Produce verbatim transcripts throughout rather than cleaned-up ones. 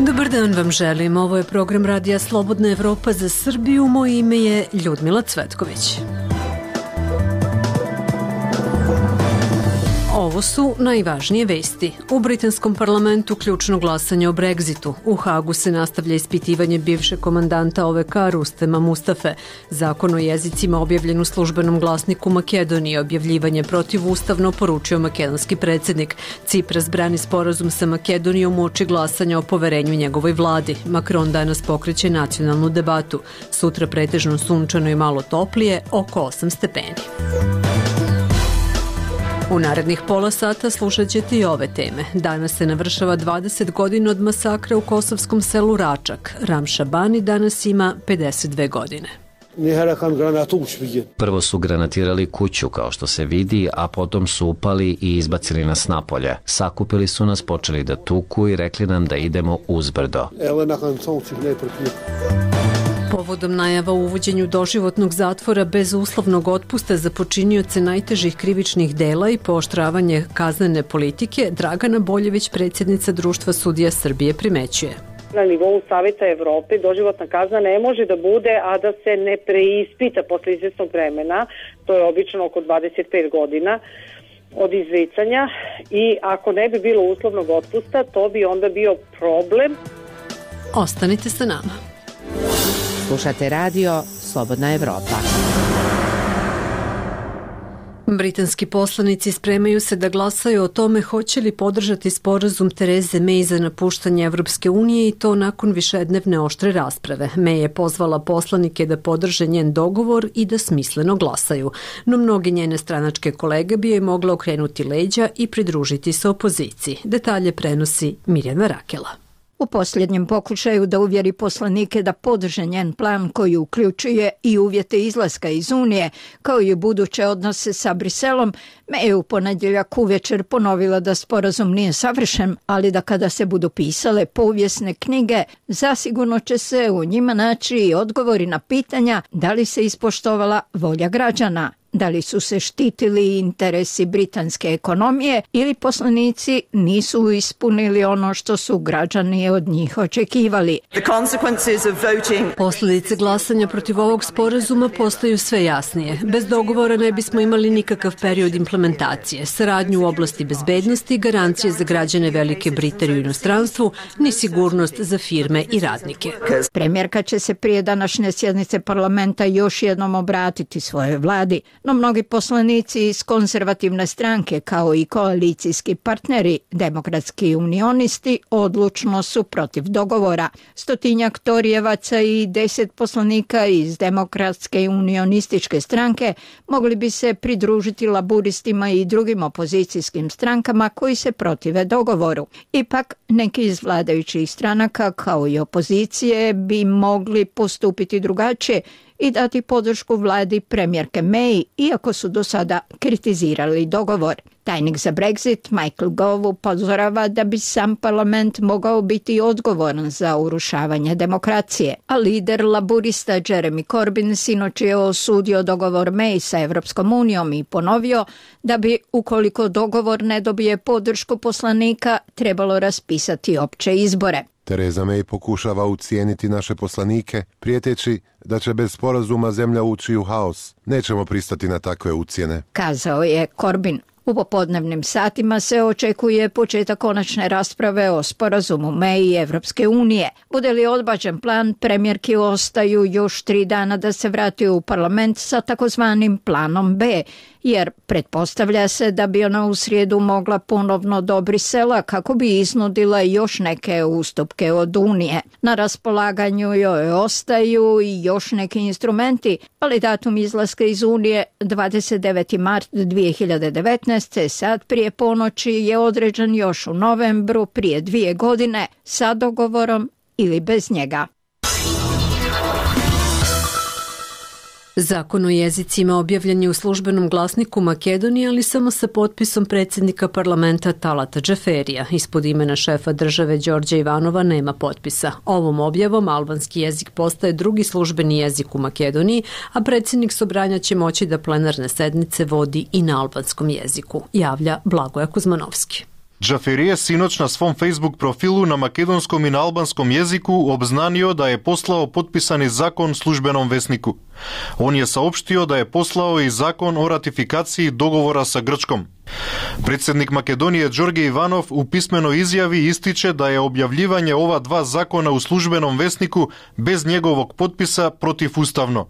Dobar dan vam želim. Ovo je program Radija Slobodna Evropa za Srbiju. Moje ime je Ljudmila Cvetković. Ovo su najvažnije vesti. U britanskom parlamentu ključno glasanje o Brexitu. U Hagu se nastavlja ispitivanje bivšeg komandanta O V K Rustema Mustafe. Zakon o jezicima objavljen u službenom glasniku Makedonije. Objavljivanje protivustavno poručio makedonski predsjednik. Cipras brani sporazum sa Makedonijom uoči glasanja o poverenju njegovoj vladi. Macron danas pokreće nacionalnu debatu. Sutra pretežno sunčano i malo toplije, oko osam stepeni. U narednih pola sata slušat ćete i ove teme. Danas se navršava dvadeset godina od masakra u kosovskom selu Račak. Ramša Bani danas ima pedeset dve godine. Prvo su granatirali kuću, kao što se vidi, a potom su upali i izbacili nas napolje. Sakupili su nas, počeli da tuku i rekli nam da idemo uzbrdo. Povodom najava o uvođenju doživotnog zatvora bez uslovnog otpusta za počinioce najtežih krivičnih dela i pooštravanje kaznene politike, Dragana Boljević, predsjednica Društva sudija Srbije, primećuje. Na nivou Saveta Evrope doživotna kazna ne može da bude, a da se ne preispita posle izvesnog vremena, to je obično oko dvadeset pet godina od izricanja, i ako ne bi bilo uslovnog otpusta, to bi onda bio problem. Ostanite sa nama. Slušate radio Slobodna Evropa. Britanski poslanici spremaju se da glasaju o tome hoće li podržati sporazum Tereze May za napuštanje Evropske unije, i to nakon višednevne oštre rasprave. May je pozvala poslanike da podrže njen dogovor i da smisleno glasaju, no mnoge njene stranačke kolege bi joj mogle okrenuti leđa i pridružiti se opoziciji. Detalje prenosi Mirjana Rakela. U posljednjem pokušaju da uvjeri poslanike da podrže njen plan koji uključuje i uvjete izlaska iz Unije, kao i buduće odnose sa Briselom, May je u ponedjeljak uvečer ponovila da sporazum nije savršen, ali da kada se budu pisale povijesne knjige, zasigurno će se u njima naći i odgovori na pitanja da li se ispoštovala volja građana, da li su se štitili interesi britanske ekonomije ili poslanici nisu ispunili ono što su građani od njih očekivali. Posljedice glasanja protiv ovog sporazuma postaju sve jasnije. Bez dogovora ne bismo imali nikakav period implementacije, saradnju u oblasti bezbednosti, garancije za građane Velike Britanije u inostranstvu, ni sigurnost za firme i radnike. Premijerka će se prije današnje sjednice parlamenta još jednom obratiti svojoj vladi, no mnogi poslanici iz konzervativne stranke kao i koalicijski partneri, demokratski unionisti, odlučno su protiv dogovora. Stotinjak torijevaca i deset poslanika iz demokratske unionističke stranke mogli bi se pridružiti laburistima i drugim opozicijskim strankama koji se protive dogovoru. Ipak, neki iz vladajućih stranaka kao i opozicije bi mogli postupiti drugačije i dati podršku vladi premijerke May, iako su do sada kritizirali dogovor. Tajnik za Brexit Michael Gove upozorava da bi sam parlament mogao biti odgovoran za urušavanje demokracije, a lider laburista Jeremy Corbyn sinoć je osudio dogovor May sa Evropskom unijom i ponovio da bi, ukoliko dogovor ne dobije podršku poslanika, trebalo raspisati opće izbore. Tereza May pokušava ucijeniti naše poslanike, prijeteći da će bez sporazuma zemlja ući u haos. Nećemo pristati na takve ucjene, kazao je Corbyn. U popodnevnim satima se očekuje početak konačne rasprave o sporazumu May i Evropske unije. Bude li odbačen plan, premijerki ostaju još tri dana da se vrati u parlament sa takozvanim planom B, jer pretpostavlja se da bi ona u srijedu mogla ponovno do Brisela kako bi iznudila još neke ustupke od Unije. Na raspolaganju joj ostaju i još neki instrumenti, ali datum izlaska iz Unije dvadeset deveti mart dvije hiljade devetnaeste. sad prije ponoći je određen još u novembru prije dvije godine sa dogovorom ili bez njega. Zakon o jezicima objavljen je u službenom glasniku Makedonije, ali samo sa potpisom predsjednika parlamenta Talata Džaferija. Ispod imena šefa države Đorđa Ivanova nema potpisa. Ovom objavom albanski jezik postaje drugi službeni jezik u Makedoniji, a predsjednik Sobranja će moći da plenarne sednice vodi i na albanskom jeziku, javlja Blagoja Kuzmanovski. Джафери е синоć на свом Facebook профилу на македонском и на албанском језику обзнанио да е послао подписани закон службеном веснику. Он je saopštio da je poslao i zakon o ratifikaciji dogovora sa Grčkom. Predsednik Makedonije Đorđe Ivanov u pismenoj izjavi ističe da je objavljivanje ova dva zakona u službenom vesniku bez njegovog potpisa protivustavno.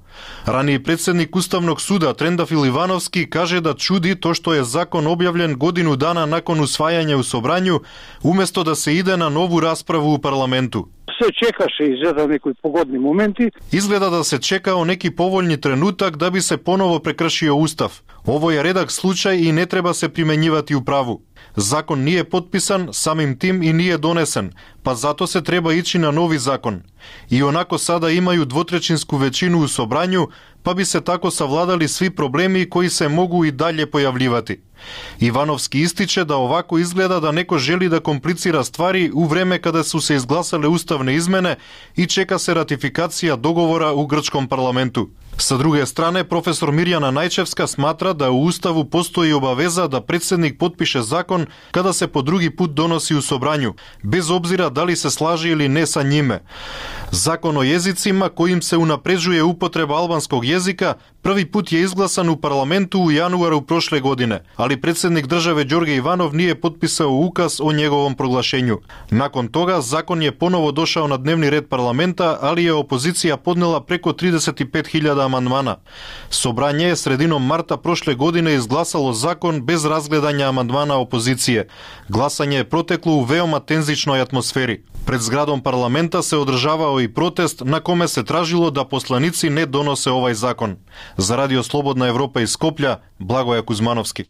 Raniji predsednik Ustavnog suda Trendafil Ivanovski kaže da čudi to što je zakon objavljen godinu dana nakon usvajanja u Sobranju, umesto da se ide na novu raspravu u parlamentu. Се чекаше изгледа некои погодни моменти. Изгледа да се чекао неки поволни тренутак да би се поново прекршио устав. Ово е редак случај и не треба се применјивати у праву. Закон nije potpisan, samim tim i nije donesen, pa zato se treba ići na novi zakon. I onako sada imaju dvotrećinsku većinu u Sobranju, pa bi se tako savladali svi problemi koji se mogu i dalje pojavljivati. Ивановски истиче да овако изгледа да неко жели да комплицира ствари у време каде су се изгласале уставне измене и чека се ратификација договора у грчком парламенту. Sa druge strane, profesor Mirjana Najčevska smatra da u Ustavu postoji obaveza da predsednik potpiše zakon kada se po drugi put donosi u Sobranju, bez obzira da li se slaže ili ne sa njime. Zakon o jezicima kojim se unapređuje upotreba albanskog jezika prvi put je izglasan u parlamentu u januaru prošle godine, ali predsednik države Đorđe Ivanov nije potpisao ukaz o njegovom proglašenju. Nakon toga, zakon je ponovo došao na dnevni red parlamenta, ali je opozicija podnela preko trideset pet hiljada amandmana. Собрање je sredinom marta prošle godine izglasalo zakon bez razgledanja amandmana opozicije. Glasanje je proteklo u veoma tenzičnoj atmosferi. Пред зградом парламента се одржавао и протест на коме се тражило да посланици не доносе овај закон. За Радио Слободна Европа из Скопља, Благоја Кузмановски.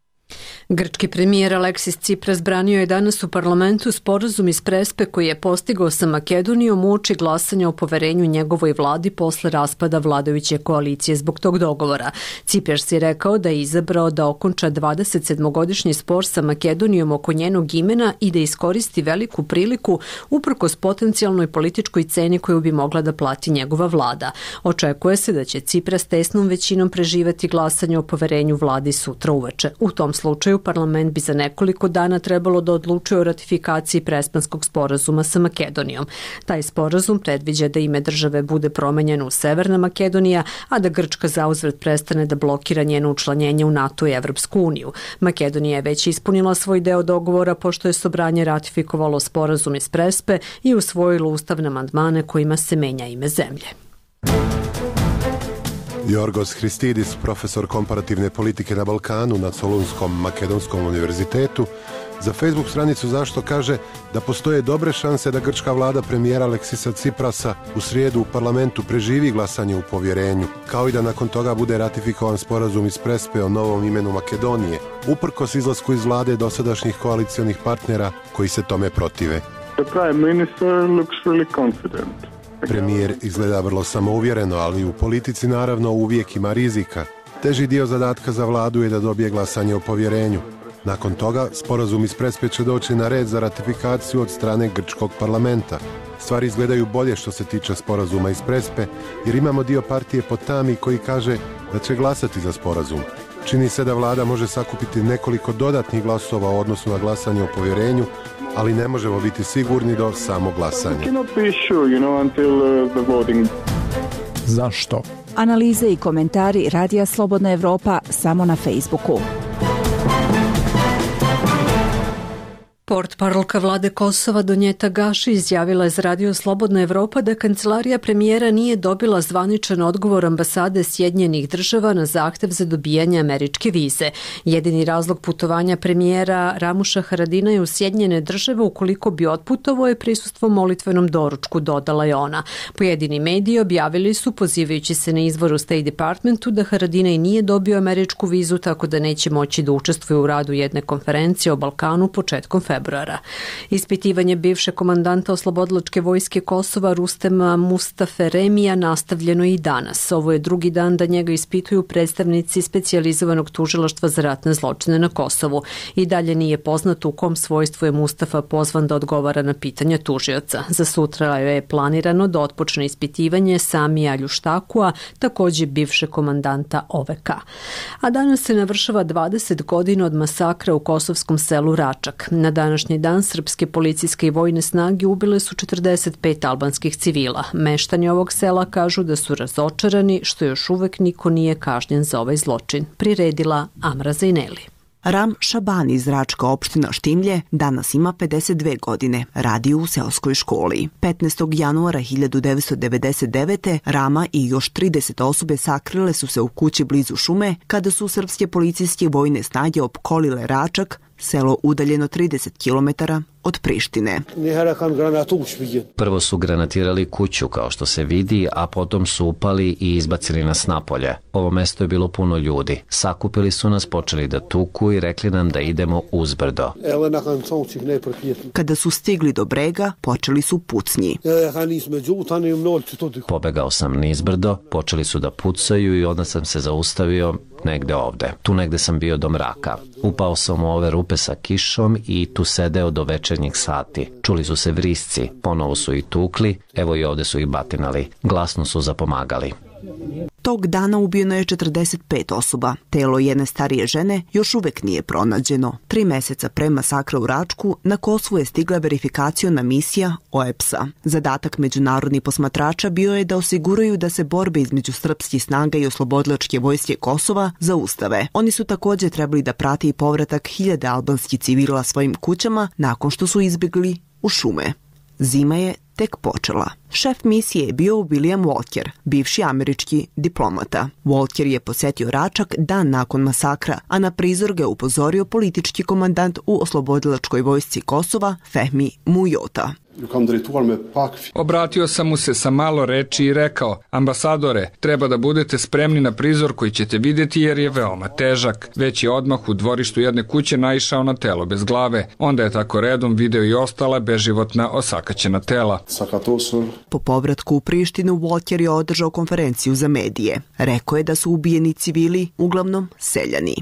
Grčki premijer Aleksis Tsipras branio je danas u parlamentu sporazum iz Prespe koji je postigao sa Makedonijom uoči glasanja o poverenju njegovoj vladi posle raspada vladajuće koalicije zbog tog dogovora. Tsipras je rekao da je izabrao da okonča dvadesetsedmogodišnji spor sa Makedonijom oko njenog imena i da iskoristi veliku priliku uprkos potencijalnoj političkoj ceni koju bi mogla da plati njegova vlada. Očekuje se da će Tsipras tesnom većinom preživeti glasanje o poverenju vladi sutra uveče. U tom slučaju parlament bi za nekoliko dana trebalo da odlučuje o ratifikaciji Prespanskog sporazuma sa Makedonijom. Taj sporazum predviđa da ime države bude promenjeno u Severna Makedonija, a da Grčka zauzvrat prestane da blokira njeno učlanjenje u NATO i Evropsku uniju. Makedonija je već ispunila svoj deo dogovora pošto je Sobranje ratifikovalo sporazum iz Prespe i usvojilo ustavne amandmane kojima se menja ime zemlje. Jorgos Christidis, profesor komparativne politike na Balkanu na Solunskom makedonskom univerzitetu, za Facebook stranicu Zašto kaže da postoje dobre šanse da grčka vlada premijera Aleksisa Tsiprasa u srijedu u parlamentu preživi glasanje u povjerenju, kao i da nakon toga bude ratifikovan sporazum iz Prespe o novom imenu Makedonije, uprkos izlasku iz vlade dosadašnjih koalicijonih partnera koji se tome protive. The prime minister looks really confident. Premijer izgleda vrlo samouvjereno, ali u politici naravno uvijek ima rizika. Teži dio zadatka za vladu je da dobije glasanje o povjerenju. Nakon toga, sporazum iz Prespe će doći na red za ratifikaciju od strane grčkog parlamenta. Stvari izgledaju bolje što se tiče sporazuma iz Prespe, jer imamo dio partije Potami koji kaže da će glasati za sporazum. Čini se da vlada može sakupiti nekoliko dodatnih glasova u odnosu na glasanje o povjerenju, ali ne možemo biti sigurni do samog glasanja. Zašto? Analize i komentari Radija Slobodna Evropa samo na Facebooku. Portparolka vlade Kosova Donjeta Gaši izjavila je za Radio Slobodna Evropa da kancelarija premijera nije dobila zvaničan odgovor ambasade Sjedinjenih država na zahtev za dobijanje američke vize. Jedini razlog putovanja premijera Ramuša Haradina je u Sjedinjene države ukoliko bi otputovao je prisustvo molitvenom doručku, dodala je ona. Pojedini mediji objavili su, pozivajući se na izvor u State Departmentu, da Haradina i nije dobio američku vizu, tako da neće moći da učestvuje u radu jedne konferencije o Balkanu početkom februara. Ispitivanje bivše komandanta oslobodilačke vojske Kosova Rustema Mustafe Remija nastavljeno i danas. Ovo je drugi dan da njega ispituju predstavnici specijalizovanog tužilaštva za ratne zločine na Kosovu. I dalje nije poznato u kom svojstvu je Mustafa pozvan da odgovara na pitanja tužioca. Za sutra je planirano da otpočne ispitivanje Samija Ljuštakua, takođe bivše komandanta O V K. A danas se navršava dvadeset godina od masakra u kosovskom selu Račak. Na dan današnji dan srpske policijske i vojne snage ubile su četrdeset pet albanskih civila. Meštani ovog sela kažu da su razočarani što još uvek niko nije kažnjen za ovaj zločin. Priredila Amra Zajneli. Ram Šabani iz Račka opština Štimlje danas ima pedeset dve godine, radi u seoskoj školi. petnaestog januara hiljadu devetsto devedeset devete. Rama i još trideset osobe sakrile su se u kući blizu šume kada su srpske policijske vojne snage opkolile Račak, selo udaljeno trideset kilometara od Prištine. Prvo su granatirali kuću, kao što se vidi, a potom su upali i izbacili nas napolje. Ovo mesto je bilo puno ljudi. Sakupili su nas, počeli da tuku i rekli nam da idemo uzbrdo. Kada su stigli do brega, počeli su pucnji. Pobegao sam nizbrdo, počeli su da pucaju i onda sam se zaustavio negde ovde. Tu negde sam bio do mraka. Upao sam u ove rupe sa kišom i tu sedeo do večernjih sati. Čuli su se vrisci, ponovo su ih tukli, evo i ovde su ih batinali. Glasno su zapomagali. Tog dana ubijeno je četrdeset pet osoba. Telo jedne starije žene još uvek nije pronađeno. Tri meseca pre masakra u Račku na Kosovu je stigla verifikaciona misija O E P S-a. Zadatak međunarodnih posmatrača bio je da osiguraju da se borbe između srpskih snaga i oslobodilačke vojske Kosova zaustave. Oni su također trebali da prate i povratak hiljade albanskih civila svojim kućama nakon što su izbjegli u šume. Zima je tek počela. Šef misije je bio William Walker, bivši američki diplomata. Walker je posetio Račak dan nakon masakra, a na prizor ga je upozorio politički komandant u oslobodilačkoj vojsci Kosova, Fehmi Mujota. Obratio sam mu se sa malo reči i rekao: ambasadore, treba da budete spremni na prizor koji ćete vidjeti jer je veoma težak. Već je odmah u dvorištu jedne kuće naišao na telo bez glave. Onda je tako redom video i ostala beživotna osakaćena tela. Po povratku u Prištinu, Walker je održao konferenciju za medije. Rekao je da su ubijeni civili uglavnom seljani.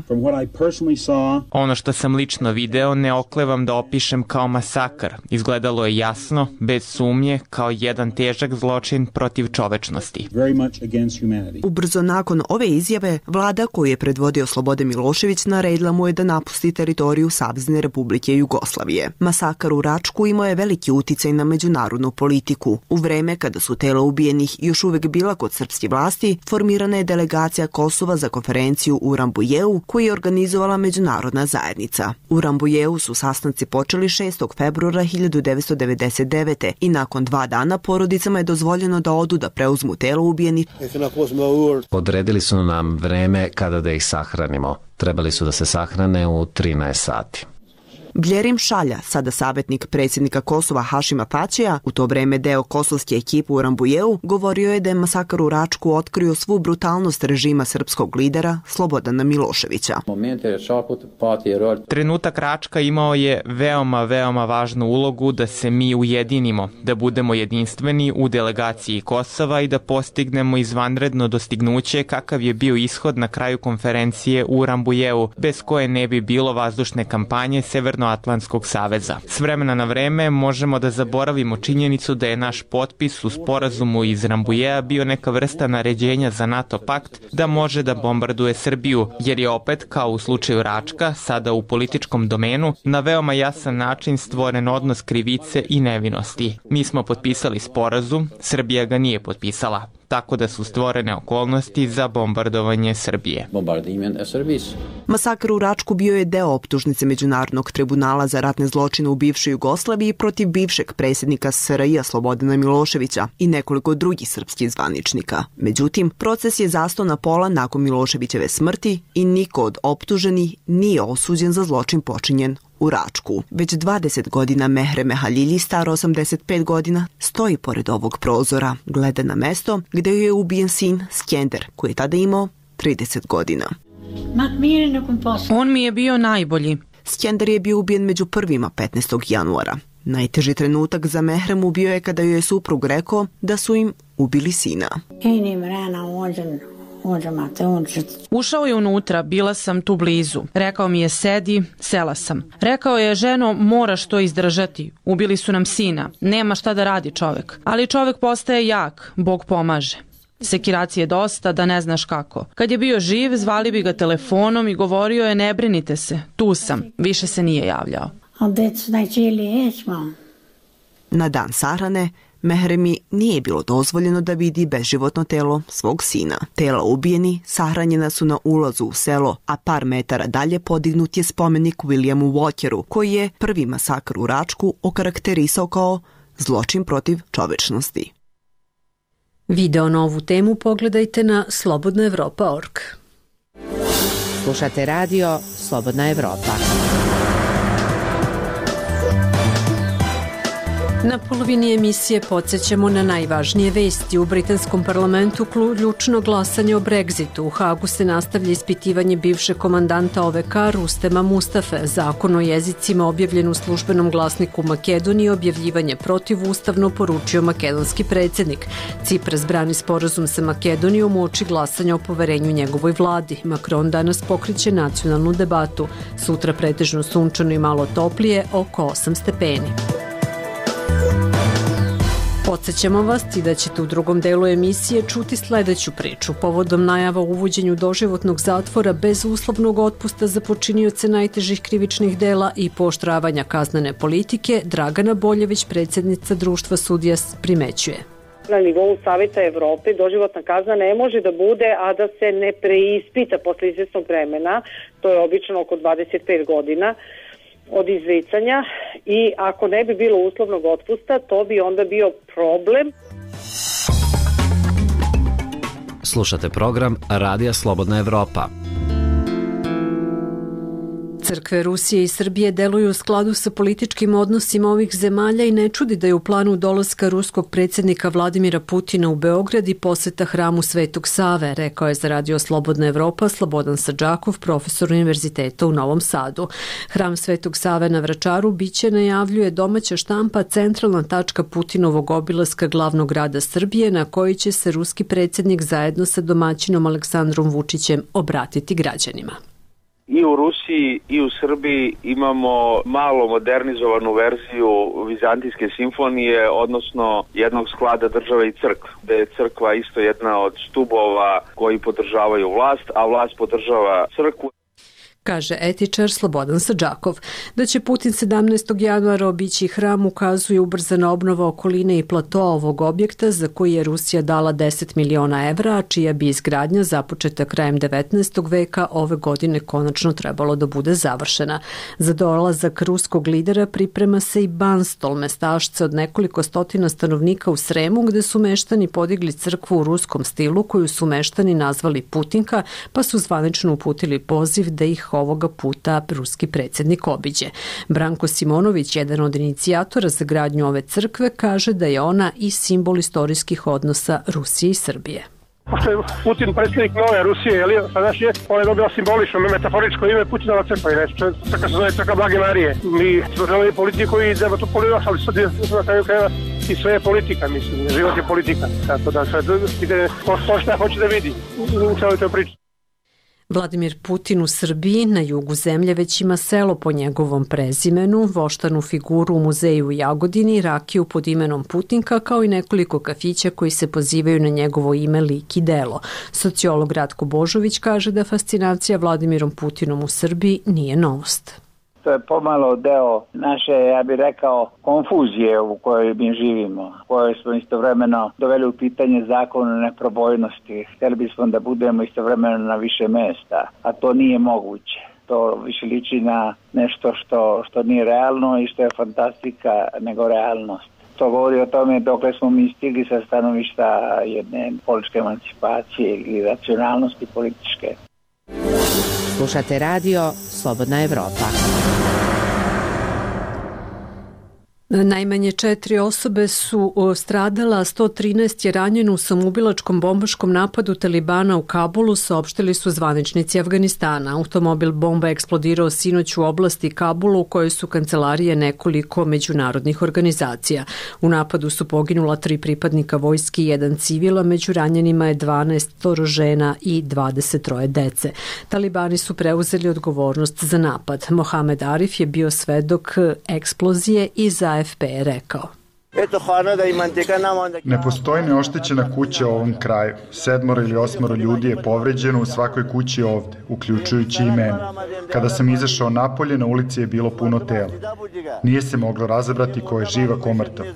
Ono što sam lično video ne oklevam da opišem kao masakar. Izgledalo je jasno, bez sumnje, kao jedan težak zločin protiv čovečnosti. Ubrzo nakon ove izjave, vlada koju je predvodio Slobodan Milošević naredila mu je da napusti teritoriju Savezne Republike Jugoslavije. Masakar u Račku imao je veliki uticaj na međunarodnu politiku. U vreme kada su tela ubijenih još uvek bila kod srpske vlasti, formirana je delegacija Kosova za konferenciju u Rambujeu koju je organizovala međunarodna zajednica. U Rambujeu su sastanci počeli šestog februara hiljadu devetsto devedeset devete. i nakon dva dana porodicama je dozvoljeno da odu da preuzmu telo ubijenih. Odredili su nam vreme kada da ih sahranimo. Trebali su da se sahrane u trinaest sati. Bljerim Šalja, sada savjetnik predsjednika Kosova Hašima Tačija, u to vreme deo kosovske ekipe u Rambujeu, govorio je da je masakar u Račku otkrio svu brutalnost režima srpskog lidera Slobodana Miloševića. Trenutak Račka imao je veoma, veoma važnu ulogu da se mi ujedinimo, da budemo jedinstveni u delegaciji Kosova i da postignemo izvanredno dostignuće kakav je bio ishod na kraju konferencije u Rambujeu, bez koje ne bi bilo vazdušne kampanje Severno Atlantskog saveza. S vremena na vreme možemo da zaboravimo činjenicu da je naš potpis u sporazumu iz Rambujea bio neka vrsta naređenja za NATO pakt da može da bombarduje Srbiju, jer je opet, kao u slučaju Račka, sada u političkom domenu, na veoma jasan način stvoren odnos krivice i nevinosti. Mi smo potpisali sporazum, Srbija ga nije potpisala, tako da su stvorene okolnosti za bombardovanje Srbije. Masakr u Račku bio je deo optužnice Međunarodnog tribunala za ratne zločine u bivšoj Jugoslaviji protiv bivšeg predsjednika S R J Slobodana Miloševića i nekoliko drugih srpskih zvaničnika. Međutim, proces je zastao na pola nakon Miloševićeve smrti i niko od optuženih nije osuđen za zločin počinjen u Račku. Već dvadeset godina Mehre Mehalilji, staro osamdeset pet godina, stoji pored ovog prozora, gleda na mesto gde je ubijen sin Skender, koji je tada imao trideset godina. On mi je bio najbolji. Skender je bio ubijen među prvima petnaestog januara. Najteži trenutak za Mehremu bio je kada joj je suprug rekao da su im ubili sina. Ušao je unutra, bila sam tu blizu. Rekao mi je sedi, sela sam. Rekao je, ženo, moraš to izdržati. Ubili su nam sina. Nema šta da radi čovek. Ali čovek postaje jak, Bog pomaže. Sekiracije dosta, da ne znaš kako. Kad je bio živ, zvali bi ga telefonom i govorio je, ne brinite se, tu sam. Više se nije javljao. Na dan sahrane Mehremi nije bilo dozvoljeno da vidi beživotno telo svog sina. Tela ubijeni sahranjena su na ulazu u selo, a par metara dalje podignut je spomenik Williamu Walkeru, koji je prvi masakr u Račku okarakterisao kao zločin protiv čovečnosti. Video na ovu temu pogledajte na slobodna evropa tačka org. Slušate radio Slobodna Evropa. Na polovini emisije podsjećamo na najvažnije vesti. U britanskom parlamentu ključno glasanje o Brexitu. U Hagu se nastavlja ispitivanje bivšeg komandanta O V K Rustema Mustafe. Zakon o jezicima objavljen u službenom glasniku Makedonije objavljivanje protivustavno poručio makedonski predsjednik. Cipras brani sporazum sa Makedonijom uoči glasanja o poverenju njegovoj vladi. Macron danas pokreće nacionalnu debatu. Sutra pretežno sunčano i malo toplije, oko osam stepeni. Podsjećamo vas i da ćete u drugom delu emisije čuti sledeću priču. Povodom najava o uvođenju doživotnog zatvora bez uslovnog otpusta za počinioce najtežih krivičnih dela i pooštravanja kaznene politike, Dragana Boljević, predsjednica Društva sudija, primećuje. Na nivou Saveta Evrope doživotna kazna ne može da bude, a da se ne preispita posle izvesnog vremena, to je obično oko dvadeset pet godina, od izricanja, i ako ne bi bilo uslovnog otpusta, to bi onda bio problem. Slušate program Radija Slobodna Evropa. Crkve Rusije i Srbije deluju u skladu sa političkim odnosima ovih zemalja i ne čudi da je u planu dolaska ruskog predsjednika Vladimira Putina u Beograd i poseta hramu Svetog Save, rekao je za Radio Slobodna Evropa Slobodan Sadžakov, profesor univerziteta u Novom Sadu. Hram Svetog Save na Vračaru biće, najavljuje domaća štampa, centralna tačka Putinovog obilaska glavnog grada Srbije, na koji će se ruski predsjednik zajedno sa domaćinom Aleksandrom Vučićem obratiti građanima. I u Rusiji i u Srbiji imamo malo modernizovanu verziju vizantijske simfonije, odnosno jednog sklada države i crkve, gde je crkva isto jedna od stubova koji podržavaju vlast, a vlast podržava crkvu. Kaže etičar Slobodan Sadžakov. Da će Putin sedamnaestog januara obići hram ukazuje ubrzana obnova okoline i platoa ovog objekta za koji je Rusija dala deset miliona evra, a čija bi izgradnja započeta krajem devetnaestog veka ove godine konačno trebalo da bude završena. Za dolazak ruskog lidera priprema se i Banstol, mestašce od nekoliko stotina stanovnika u Sremu, gde su meštani podigli crkvu u ruskom stilu koju su meštani nazvali Putinka, pa su zvanično uputili poziv da ih ovoga puta ruski predsjednik obiđe. Branko Simonović, jedan od inicijatora za gradnju ove crkve, kaže da je ona i simbol istorijskih odnosa Rusije i Srbije. Pošto je Putin predsjednik nove Rusije, je li, sadašnje, on je dobio simbolično, metaforičko ime Putinova crkva, i crkva se zove crkva Blage Marije. Mi smo želeli politiku i treba to polivaš, ali sad je na kraju krajeva i sve je politika, mislim, život je politika. Tako da sad ide, ko šta hoće da vidi u celoj toj priči. Vladimir Putin u Srbiji, na jugu zemlje, već ima selo po njegovom prezimenu, voštanu figuru u muzeju u Jagodini, rakiju pod imenom Putinka, kao i nekoliko kafića koji se pozivaju na njegovo ime, lik i delo. Sociolog Ratko Božović kaže da fascinacija Vladimirom Putinom u Srbiji nije novost. To je pomalo deo naše, ja bih rekao, konfuzije u kojoj mi živimo, u kojoj smo istovremeno doveli u pitanje zakon o neprobojnosti. Htjeli bismo da budemo istovremeno na više mesta, a to nije moguće. To više liči na nešto što, što nije realno i što je fantastika nego realnost. To govori o tome dokle smo mi stigli sa stanovišta jedne političke emancipacije ili racionalnosti političke. Slušate radio Slobodna Evropa. Najmanje četiri osobe su stradala, a sto trinaest je ranjeno u samoubilačkom bombaškom napadu Talibana u Kabulu, saopštili su zvaničnici Afganistana. Automobil bomba eksplodirao sinoć u oblasti Kabulu, u kojoj su kancelarije nekoliko međunarodnih organizacija. U napadu su poginula tri pripadnika vojske i jedan civila, među ranjenima je dvanaest žena i dvadeset troje dece. Talibani su preuzeli odgovornost za napad. Mohamed Arif je bio svedok eksplozije i za A F P je rekao. Ne postoji neoštećena kuća u ovom kraju. Sedmoro ili osmoro ljudi je povređeno u svakoj kući ovde, uključujući i mene. Kada sam izašao napolje, na ulici je bilo puno tela. Nije se moglo razabrati ko je živ, a ko mrtav.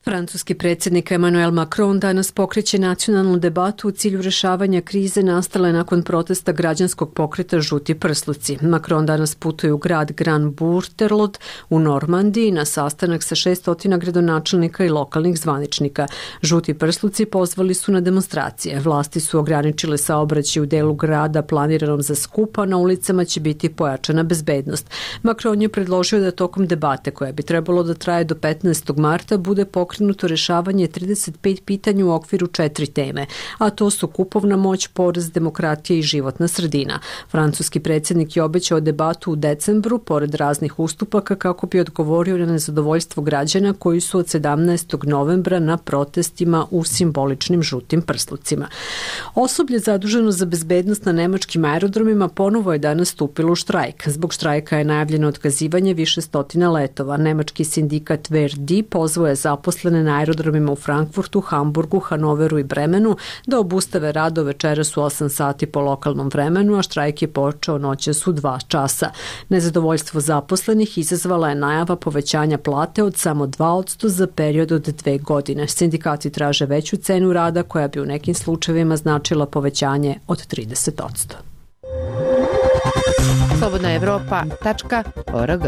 Francuski predsjednik Emmanuel Macron danas pokreće nacionalnu debatu u cilju rešavanja krize nastale nakon protesta građanskog pokreta Žuti prsluci. Macron danas putuje u grad Grand Bourterlot u Normandiji na sastanak sa šeststotina gradonačelnika i lokalnih zvaničnika. Žuti prsluci pozvali su na demonstracije. Vlasti su ograničile saobraćaj u delu grada planiranom za skup, a na ulicama će biti pojačana bezbednost. Macron je predložio da tokom debate, koja bi trebalo da traje do petnaestog marta, bude pokrenuto pokrenuto rešavanje trideset pet pitanja u okviru četiri teme, a to su kupovna moć, porez, demokratija i životna sredina. Francuski predsjednik je obećao debatu u decembru, pored raznih ustupaka, kako bi odgovorio na nezadovoljstvo građana koji su od sedamnaestog novembra na protestima u simboličnim žutim prslucima. Osoblje zaduženo za bezbednost na nemačkim aerodromima ponovo je danas stupilo u štrajk. Zbog štrajka je najavljeno otkazivanje više stotina letova. Nemački sindikat V R D pozvao je zaposlene na aerodromima u Frankfurtu, Hamburgu, Hanoveru i Bremenu da obustave rado večeras u osam sati po lokalnom vremenu, a štrajk je počeo noćas u dva časa. Nezadovoljstvo zaposlenih izazvala je najava povećanja plate od samo dva posto za period od dve godine. Sindikati traže veću cenu rada koja bi u nekim slučajevima značila povećanje od trideset posto. slobodna evropa tačka org.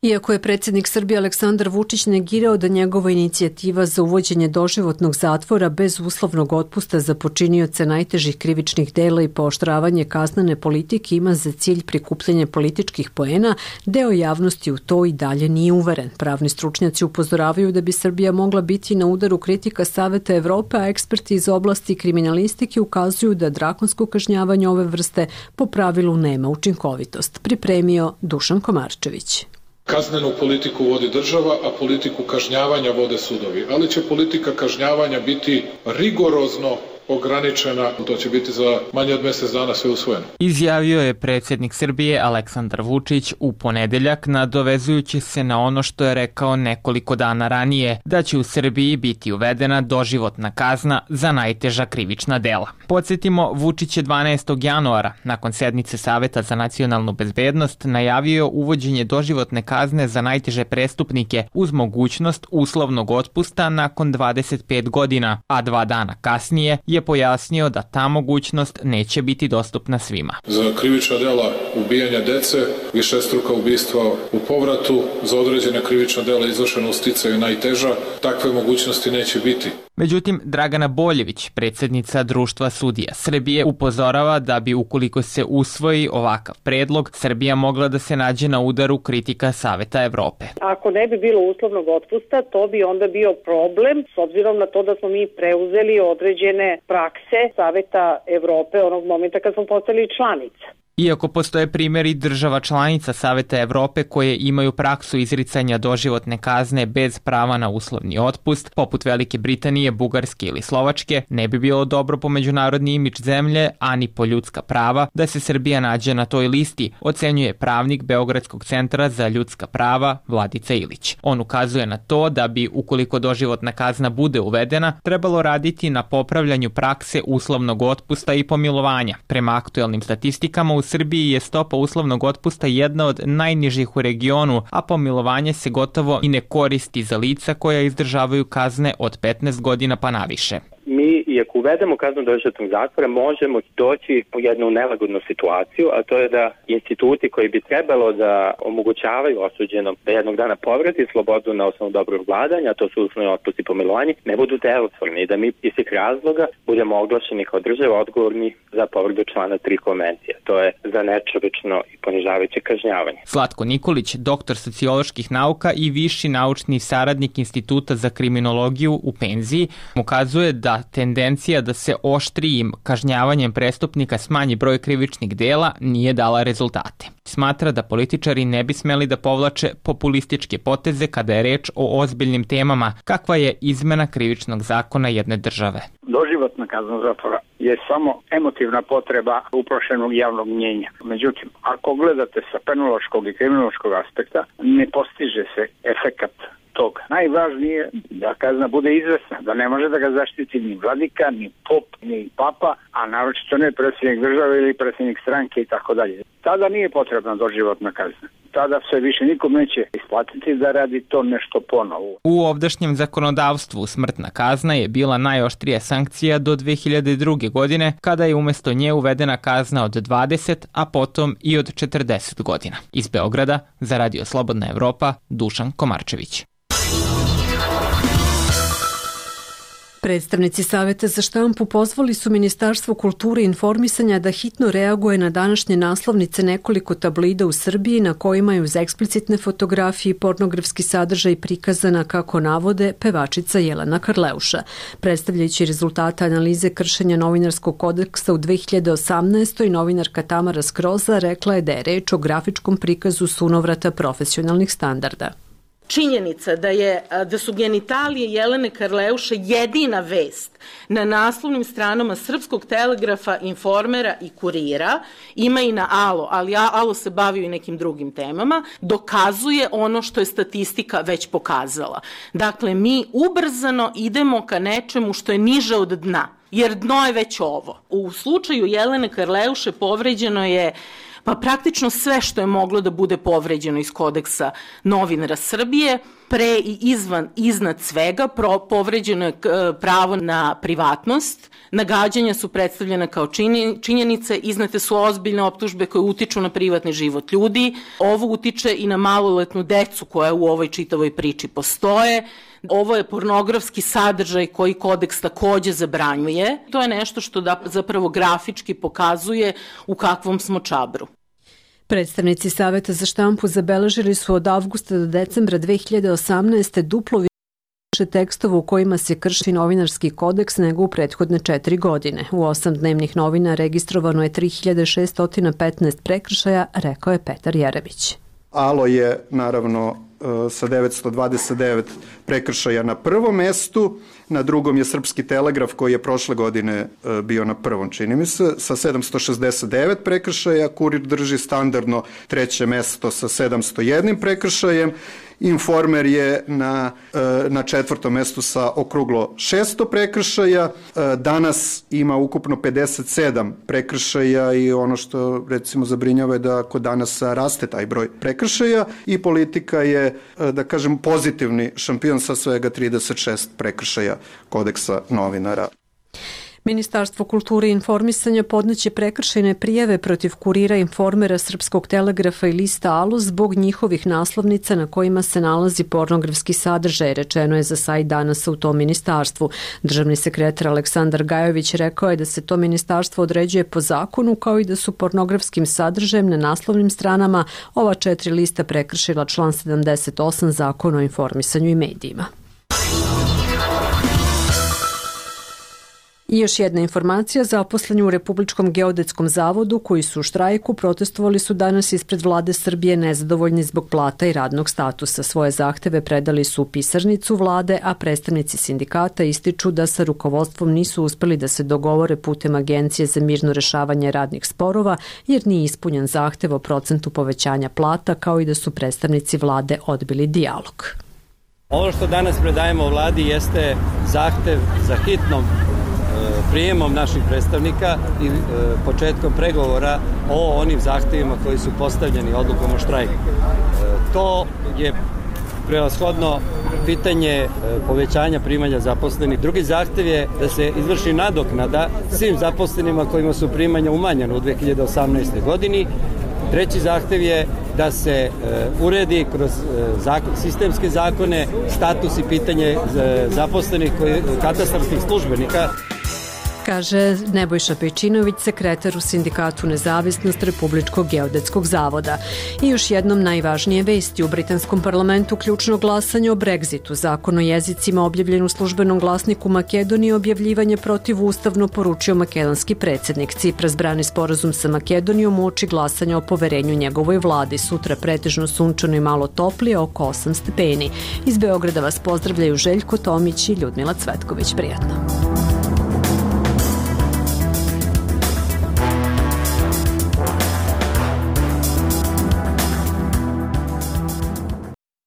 Iako je predsjednik Srbije Aleksandar Vučić negirao da njegova inicijativa za uvođenje doživotnog zatvora bez uslovnog otpusta za počinioce najtežih krivičnih dela i pooštravanje kaznene politike ima za cilj prikupljanje političkih poena, deo javnosti u to i dalje nije uveren. Pravni stručnjaci upozoravaju da bi Srbija mogla biti na udaru kritika Saveta Evrope, a eksperti iz oblasti kriminalistike ukazuju da drakonsko kažnjavanje ove vrste po pravilu nema učinkovitost. Pripremio Dušan Komarčević. Kaznenu politiku vodi država, a politiku kažnjavanja vode sudovi. Ali će politika kažnjavanja biti rigorozno ograničena, to će biti za manje od mjesec dana sve usvojeno. Izjavio je predsjednik Srbije Aleksandar Vučić u ponedeljak, nadovezujući se na ono što je rekao nekoliko dana ranije, da će u Srbiji biti uvedena doživotna kazna za najteža krivična dela. Podsjetimo, Vučić je dvanaestog januara, nakon sednice Saveta za nacionalnu bezbednost, najavio uvođenje doživotne kazne za najteže prestupnike uz mogućnost uslovnog otpusta nakon dvadeset pet godina, a dva dana kasnije je pojasnio da ta mogućnost neće biti dostupna svima. Za krivična dela ubijanja dece, višestruka ubistva u povratu, za određene krivična dela izvršena u sticaju najteža, takve mogućnosti neće biti. Međutim, Dragana Boljević, predsjednica Društva sudija Srbije, upozorava da bi ukoliko se usvoji ovakav predlog, Srbija mogla da se nađe na udaru kritika Saveta Evrope. Ako ne bi bilo uslovnog otpusta, to bi onda bio problem, s obzirom na to da smo mi preuzeli određene prakse Saveta Evrope onog momenta kad smo postali članica. Iako postoje primjeri država članica Saveta Evrope koje imaju praksu izricanja doživotne kazne bez prava na uslovni otpust, poput Velike Britanije, Bugarske ili Slovačke, ne bi bilo dobro po međunarodni imidž zemlje, ani po ljudska prava, da se Srbija nađe na toj listi, ocenjuje pravnik Beogradskog centra za ljudska prava Vladica Ilić. On ukazuje na to da bi, ukoliko doživotna kazna bude uvedena, trebalo raditi na popravljanju prakse uslovnog otpusta i pomilovanja. Prema aktuelnim statistikama, u Srbiji je stopa uslovnog otpusta jedna od najnižih u regionu, a pomilovanje se gotovo i ne koristi za lica koja izdržavaju kazne od petnaest godina pa naviše. Mi, iako uvedemo kaznu doživotnog zatvora, možemo doći u jednu nelagodnu situaciju, a to je da instituti koji bi trebalo da omogućavaju osuđenom da jednog dana povrati slobodu na osnovu dobrog vladanja, a to su uslovni otpust i pomilovanje, ne budu delotvorni i da mi iz tih razloga budemo oglašeni kao država odgovorni za povredu člana tri konvencije. To je za nečovečno i ponižavajuće kažnjavanje. Slatko Nikolić, doktor socioloških nauka i viši naučni saradnik Instituta za kriminologiju u penziji, ukazuje da tendencija da se oštrijim kažnjavanjem prestupnika smanji broj krivičnih dela nije dala rezultate. Smatra da političari ne bi smeli da povlače populističke poteze kada je reč o ozbiljnim temama, kakva je izmena krivičnog zakona jedne države. Doživotna kazna zatvora je samo emotivna potreba uprošenog javnog mnjenja. Međutim, ako gledate sa penološkog i kriminološkog aspekta, ne postiže se efekat toga. Najvažnije je da kazna bude izvesna, da ne može da ga zaštiti ni vladika, ni pop, ni papa, a naročito ne predsjednik države ili predsjednik stranke i tako dalje. Tada nije potrebna doživotna kazna. Tada se više nikom neće isplatiti da radi to nešto ponovo. U ovdašnjem zakonodavstvu smrtna kazna je bila najoštrija sankcija do dve hiljade druge. godine, kada je umjesto nje uvedena kazna od dvadeset, a potom i od četrdeset godina. Iz Beograda, za Radio Slobodna Evropa, Dušan Komarčević. Predstavnici Saveta za štampu pozvali su Ministarstvo kulture i informisanja da hitno reaguje na današnje naslovnice nekoliko tablida u Srbiji na kojima je uz eksplicitne fotografije i pornografski sadržaj prikazana, kako navode, pevačica Jelena Karleuša. Predstavljajući rezultate analize kršenja novinarskog kodeksa u dve hiljade osamnaestoj. novinarka Tamara Skroza rekla je da je reč o grafičkom prikazu sunovrata profesionalnih standarda. Činjenica da, je, da su genitalije Jelene Karleuše jedina vest na naslovnim stranama Srpskog telegrafa, Informera i Kurira, ima i na Alo, ali Alo se bavi i nekim drugim temama, dokazuje ono što je statistika već pokazala. Dakle, mi ubrzano idemo ka nečemu što je niže od dna, jer dno je već ovo. U slučaju Jelene Karleuše povređeno je pa praktično sve što je moglo da bude povređeno iz kodeksa novinara Srbije, pre i izvan, iznad svega, pro, povređeno je pravo na privatnost, nagađanja su predstavljena kao činjenice, iznete su ozbiljne optužbe koje utiču na privatni život ljudi, ovo utiče i na maloletnu decu koja u ovoj čitavoj priči postoje. Ovo je pornografski sadržaj koji kodeks takođe zabranjuje. To je nešto što da zapravo grafički pokazuje u kakvom smo čabru. Predstavnici Saveta za štampu zabeležili su od avgusta do decembra dve hiljade osamnaeste. duplo više tekstova u kojima se krši novinarski kodeks nego u prethodne četiri godine. U osam dnevnih novina registrovano je tri hiljade šessto petnaest prekršaja, rekao je Petar Jerebić. Alo je naravno sa devetsto dvadeset devet prekršaja na prvom mestu, na drugom je Srpski telegraf koji je prošle godine bio na prvom, čini mi se, sa sedamsto šezdeset devet prekršaja, Kurir drži standardno treće mesto sa sedamsto jedan prekršajem, Informer je na, na četvrtom mestu sa okruglo šesto prekršaja, danas ima ukupno pedeset sedam prekršaja i ono što recimo zabrinjava je da kod danas raste taj broj prekršaja i Politika je, da kažem, pozitivni šampion sa svega trideset šest prekršaja kodeksa novinara. Ministarstvo kulture i informisanja podneće prekršajne prijave protiv Kurira, Informera, Srpskog telegrafa i lista Alo zbog njihovih naslovnica na kojima se nalazi pornografski sadržaj, rečeno je za sajt Danasa u tom ministarstvu. Državni sekretar Aleksandar Gajović rekao je da se to ministarstvo određuje po zakonu, kao i da su pornografskim sadržajem na naslovnim stranama ova četiri lista prekršila član sedamdeset osam Zakona o informisanju i medijima. I još jedna informacija, zaposleni u Republičkom geodetskom zavodu koji su u štrajku protestovali su danas ispred vlade Srbije nezadovoljni zbog plata i radnog statusa. Svoje zahteve predali su u pisarnicu vlade, a predstavnici sindikata ističu da sa rukovodstvom nisu uspeli da se dogovore putem Agencije za mirno rešavanje radnih sporova jer nije ispunjen zahtev o procentu povećanja plata, kao i da su predstavnici vlade odbili dijalog. Ovo što danas predajemo vladi jeste zahtev za hitnom prijemom naših predstavnika i e, početkom pregovora o onim zahtevima koji su postavljeni odlukom o štrajku. E, to je prevashodno pitanje e, povećanja primanja zaposlenih. Drugi zahtev je da se izvrši nadoknada svim zaposlenima kojima su primanja umanjena u dve hiljade osamnaestoj. godini. Treći zahtev je da se e, uredi kroz e, zakon, sistemske zakone status i pitanje e, zaposlenih koji, katastarskih službenika. kaže Nebojša Pejčinović, sekretar u Sindikatu Nezavisnost Republičkog geodetskog zavoda. I još jednom najvažnije vesti u britanskom parlamentu ključno glasanje o Brexitu. Zakon o jezicima objavljen u službenom glasniku Makedonije objavljivanje protivustavno poručio makedonski predsjednik. Cipras brani sporazum sa Makedonijom uoči glasanja o poverenju njegovoj vladi. Sutra pretežno sunčano i malo toplije, oko osam stepeni. Iz Beograda vas pozdravljaju Željko Tomić i Ljudmila Cvetković. Prijatno.